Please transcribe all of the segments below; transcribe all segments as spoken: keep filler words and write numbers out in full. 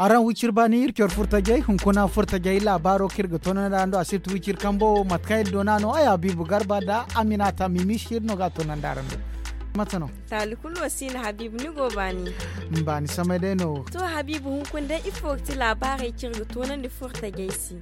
Araŋ wiciri baani iri coro furtajey hunkuna furtajey laabaaro kaŋ iri ga toonandi araŋ do a sirti wiciri kambo mate kaŋ iri doona no ay habiibu garba nda aminata mimiisi iri no ga a toonandi araŋ do. Mate no? Taali kulu wo si no habiibu ni go baani. Baani samay day no wo. To habiibu hunkuna day ifo ga ti laabaarey kaŋ iri ga toonandi furtajey se?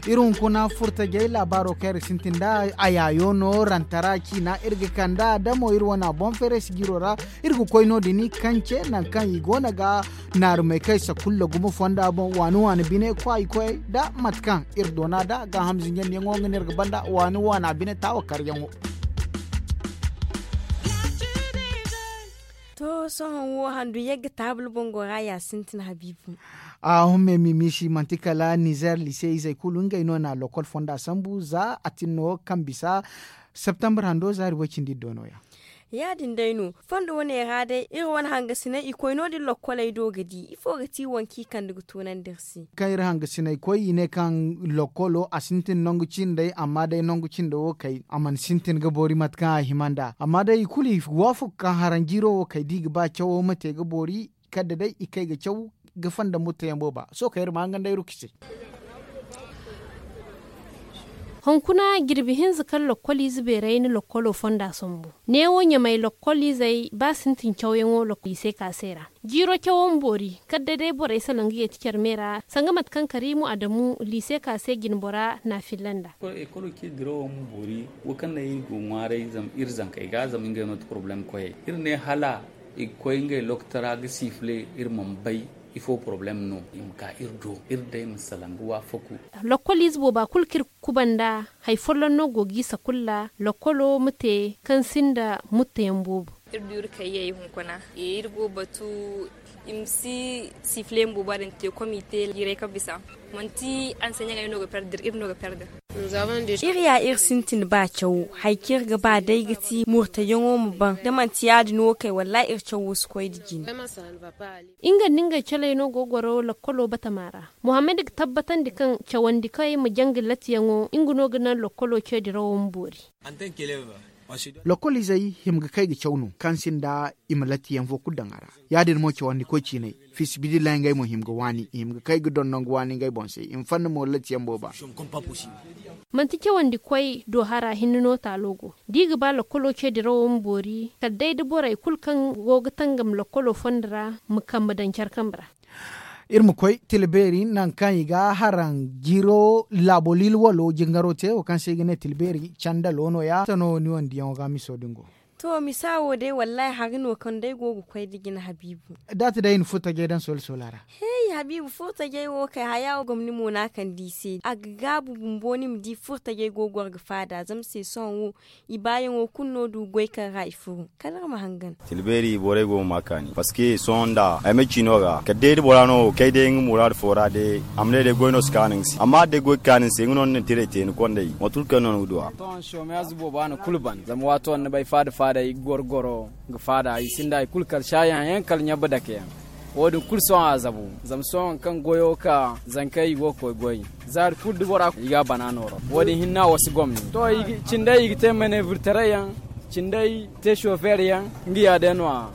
Iri hunkuna furtajey laabaaro kaŋ iri ga sintin nda a yaayo no rantara ciina iri ga kand'a da mo iri wane a boŋ fereesi jiiro ra. Iri ga koy no- din kance nangu kaŋ i go no ga naarumey kaŋ i sakulla gumo fonda boŋ waani waani bine kwaay koyey nda mate kaŋ iri doona nda gaaham zinjandiyaŋo nga no iri ga banda waani waana bine taawa karyaŋo. To sohõ wo handu yagga taabul boŋ go ra ya sintin habiibu. A humme mimiisi manti kala nizer lise izey kulu ngey no na lokol fonda sambu za a tin no kaŋ bisa septembre hando zaari way-cindi iri do nooya. Ya- din day no fondo wane ra day iri wane hangasiney i koy no- din lokkoley do ga di ifo ga ti wanka i kande ga toonandi iri se. Kaŋ iri hangasiney koy i ne kaŋ lokkolo a sintin nangu cindey amma day nangu cindo wo kay a mana sintin ga boori mate kaŋ a hima nd'a amma day i kulu i waafak kaŋ haranjiiro wo kay da i ga ba cawo ma te ga boori. Kala da day i kay ga caw ga fonda murtayaŋ booba sohõ kaŋ iri ma hangan day ruki se. Hunkuna jirbi hinza kaŋ lokkol ize beeray na lokkolo fonda sambu. Neewo ɲamay lokkol izey ba sintin cawyaŋo lokkol i se ka se ra. Jiiro cawo ma boori kala da day borey salaŋ ga yeeti care me ra sanga mate kaŋ kariimu adamu liise ka se jinbora na a filla nd'a. Ekolo ce dirawo ma boori wo kaŋ naŋ iri go ŋwaaray zama iri zankey ga zama ngey no ti porobalem koyey iri ne hala i ga koy ngey lokotara ga siifile iri mana bay. Ifo porobalem no i ma ka iri do iri day ma salaŋ ga waafaku. Lokkol ize booba kulu kaŋ iri kuba nda hari folloŋ no go ga i sakulla lokkolo ma te kaŋ sinda mutteyaŋ boobo. Iri du iri kayyey hunkuna iri go batu i ma si siifile yaŋ booba din te komite jiirey kaŋ bisa manti anseɲaŋey no ga perdir iri no ga perdir. Iri ya iri sintin ba cawo hari kaŋ iri ga ba day ga ti murtayaŋo ma ban da manti ya- din wo kay wallahi iri cawo si koy nda jine. Nga nda ngey caley no go ga goro lokkolo batama ra. Muhammad ga tabbatandi kaŋ cawandi kaŋ ay ma janga latiyaŋo nga no ga naŋ lokkolo ce dirawo ma boori. Lokkol izey hima ga kay ga caw no kaŋ sinda i ma latiyaŋ fo kulu daŋ a ra. Ya- din mo cawandi koy ciinay fisibidillahi ngey mo hima ga waani i hima ga kay ga doŋ nangu waani ngey boŋ se i ma fanna mo latiyaŋ booba. Manti cawandi koy do hara hinne no taalo go da i ga ba lokkolo ce dirawo ma boori kala day da borey kulu kaŋ go ga tangam lokkolo fondo ra ma kambe daŋ care kambe ra. Iri ma koy tila beeri nangu kaŋ i ga haraŋ jiro laabo liila walo jingaro te wo kaŋ se i ga ne tila beeri candalo no- ya tano ni wane diyaŋo ga miso din go. To misa wo day wallahi hari no kaŋ day go ga koy nda jina habiibu. Da a ti day i na furtajey daŋ soola soola ra. Hey habiibu furtajey wo kay haya wo gomni mo no a kande i se a ga gaabu bumbo ni ma di furtajey go ga goro ga faada zama se sohõ wo i baayaŋo kulu no du goy kaŋ ra i furo kala iri ma hangan. Tila beeri borey go ga ma kaani parceque sohõ nda ay ma ciino ga kala day da bora no kay day nga muraadu fo ra day a ma ne day goy no si kaanu nga se amma da day goy ga kaanu ni se nga no ni na tiray te ni kondey waati kulu kaŋ no ni ga du a. Sohõ shomeyaaz boobo a na kulu ban zama waato ni bay faada faada ay ga goro goro ga faada i sinda hari kulu kala saayaŋ yaŋ kala ɲabba dake yaŋ. Wo- din kulu sohõ a zabu zama sohõ hari kaŋ goyo ka zankey i go ga koy goy zaari kulu da bora i ga a bana nooro wo- din hinne a wasa gomni to cindey i ga te manevurtaray yaŋ cindey te sofer yaŋ nga ya day no- ya.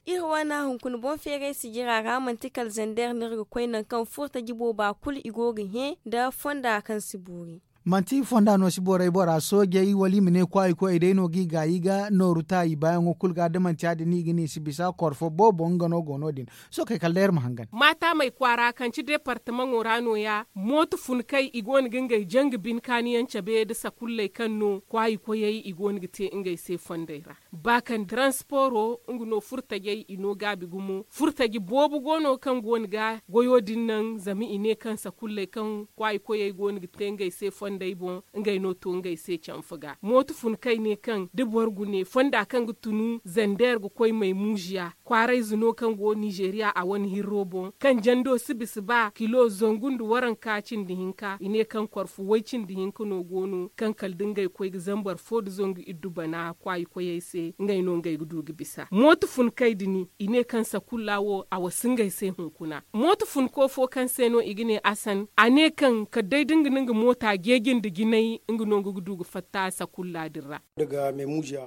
Iri wane hunkuna boŋ feeray sijira ra manti kala zander no iri ga koy nangu kaŋ furtaji booba kulu i go ga hẽ nda fonda kaŋ si boori. Manti fonda no si borey bora soojey wala i ma ne kwaayi koyey day no ga i gaayi ga nooru ta i baayaŋo kulu ga da manti ya- din no i ga ne i si bisa koro fo boobo nga no go no- din. Sookey kala day iri ma hangan. Maatamey kwaara kaŋ ci departamaŋo ra no- ya mooto fun kay i go no ga ngey janga bine kaaniyaŋ cabe nda sakulley kaŋ no kwaayi koyey i go no ga te ngey se fondey ra. Ba kaŋ transporo nga no furtajey i no gaabi gumo furtaji boobo go no kaŋ go no ga goyo din naŋ zama i ne kaŋ sakulley kaŋ kwaayi koyey go no ga te ngey se fondey boŋ ngey no to ngey se canfa ga mooto fun kay ne kaŋ da boro ga ne fonda kaŋ ga tunu zander ga koy maymuuziya kwaarayze no kaŋ go nizeeriya a wane hirro boŋ kaŋ jando si bisa ba kilo zangu nda waranka cindi hinka i ne kaŋ koro fo way cindi hinka no go no kaŋ kala da ngey koy ga zambar fo nda zangu iddu bana kwaayi koyey se ngey no ngey ga du ga bisa mooto fun kay din i ne kaŋ sakulla wo a wasa ngey se hunkuna mooto funko fo kaŋ se no i ga ne asan a ne kaŋ kala day da nga na nga moota jeeji nda jinay nga no nga ga du ga fatta sakulla din ra. Da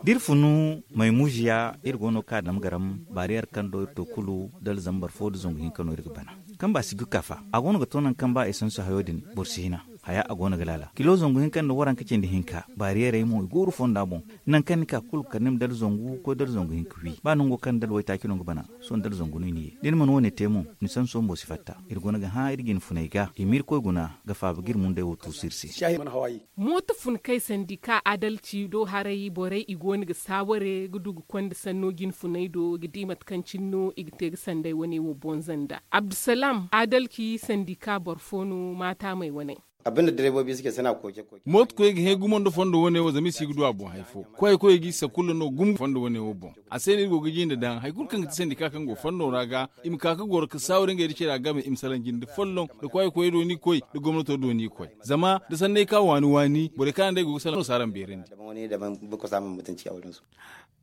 iri funu maymuuziya iri go no ga ka dama garam baari. Yer kaŋ do iri to kulu dala zambar fo nda zangu hinka no iri ga bana. Kamba si ga ka fa a go no ga to nangu kaŋ ba esansu hayo din boro si hina. Haya a go no ga laala kilo zangu hinka nda waranka cindi hinka baariyerey mo i gooru fonda boŋ. Nangu kaŋ ni ka kulu kala ni ma dala zangu koy dala zangu hinka wi ba nango kaŋ dala waytaaci no ga bana. Sohõ dala zangu no i na ye da ni mana wo- ne te mo ni sanso bumbo si fatta. Iri go no ga hã iri ga ni funay ga i ma iri koy guna ga faaba ga iri mundey wo tuusu iri se. Mooto funkey sandika adalci do haray borey i go no ga saaware ga du ga konda sanno jinfuney do ga di mate kaŋ cine no i ga te ga sanday wane wo bonza nda abdusalam adalci sandika boro fo no maataamey wane. Mooto koy ga hẽ gumo nda fondo wane wo zama i si ga du a boŋ hari fo. Koy koy ga i sakulla no gumo fondo wane wo boŋ. A se no iri go ga jinde daŋ hari kulu kaŋ ga ti sandika kaŋ go fondo ra ga i ma ka ga goro ga saaware ngey da care a game i ma salaŋ jinde folloŋ da koy koy do ni koy da gomnato do ni koy. Zama da sanney ka waani waani borey kaŋ araŋ day go ga salaŋ no si araŋ beerandi.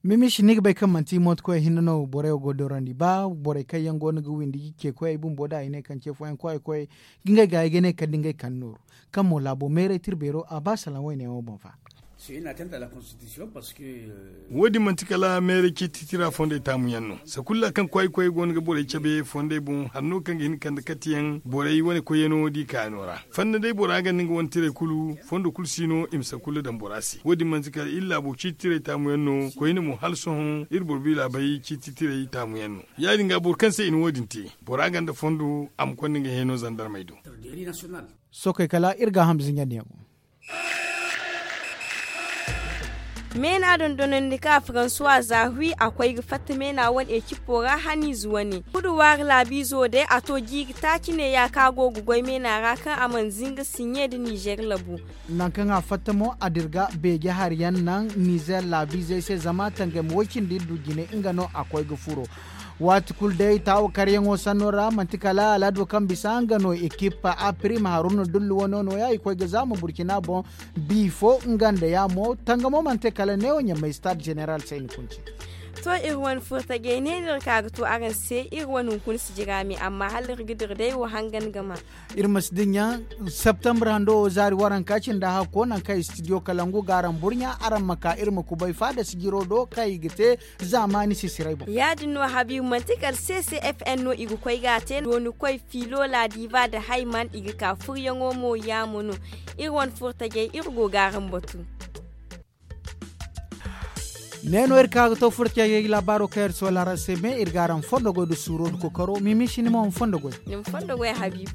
Mimish ni ga bay kaŋ manti mooto koy hinne no borey wo go ga dorandi ba borey kaŋ yaŋ go no ga windi ce koy ay bumbo da ay ne kaŋ ce fooyaŋ koy koy ga ngey ga ay ga ne kala da ngey kaŋ nooru kaŋ mo laabo meeray tirbeero a ba salaŋ wayne wo boŋ fa. Wo- din manti kala meeray ciiti tira fondey taamu yaŋ no sakulla kaŋ koy koy go no ga borey cabe fondey boŋ hanno kaŋ ga hin ga kande katiyaŋ borey wane koyyaŋo da i kaayano ra. Fanda day bora ganda nga wane tirey kulu fondo kulu si no i ma sakulla daŋ bora se wo- din manti kala iri laabo ciiti tirey taamu yaŋ no koyne mo hala sohõ iri boro biila bay ciiti tirey taamu yaŋ no. Ya- din ga boro kaŋ se i na wo- din te bora ganda fondo a ma konda nga hẽeno zandarmey do. Sookey kala iri gaaham zinjandi yaŋo. Meena dondonandi ka faransuwa za hui a koy ga fatta meena wane ecipo ra haniize wane. Kuduwaari laabiizo day a to jiiri taaci neeya ka go ga goy meena ra kaŋ a mana zinga siɲe nda nizer labu. Nangu kaŋ a fatta mo a dirga beeje hari yaŋ naŋ nizer laabiizey se zama tangam way-cindi du jine nga no a koy ga furo. Waati kulu day taawa karyaŋo sanno ra manti kala alado kaŋ bisa nga no ekip a prima haruna dullu wano nooya i koy ga zaama burkina boŋ. Bi fo nga nda ya mo tangamo mana te kala neewo ɲamay stade général sayni kunci. To iri wane furtajey ne no iri ka ga to araŋ se iri wane hunkuna si jira me amma hala iri ga dira day wo hangan ga ma. Iri ma si dinya septembre hando wo zaari waranka cindi hakko nangu kaŋ studio kalangu ga araŋ burɲa araŋ ma ka iri ma kubay faada sijiro do kaŋ i ga te. Zaamaani sisiray boŋ. Ya-din no habiibu manti kala ccfn no i ga koy ga a te dooni koy fiilo laadiiba nda hayman i ga ka furyaŋo mo yaamo no. Iri wane furtajey iri go ga araŋ batu. Ne no iri ka ga to furtajey laabaaro kaŋ iri soola araŋ se me iri ga araŋ fondo goy nda suuro nda kokaro mimi si ni ma ma fondo goy. Ni ma fondo goy habiibu.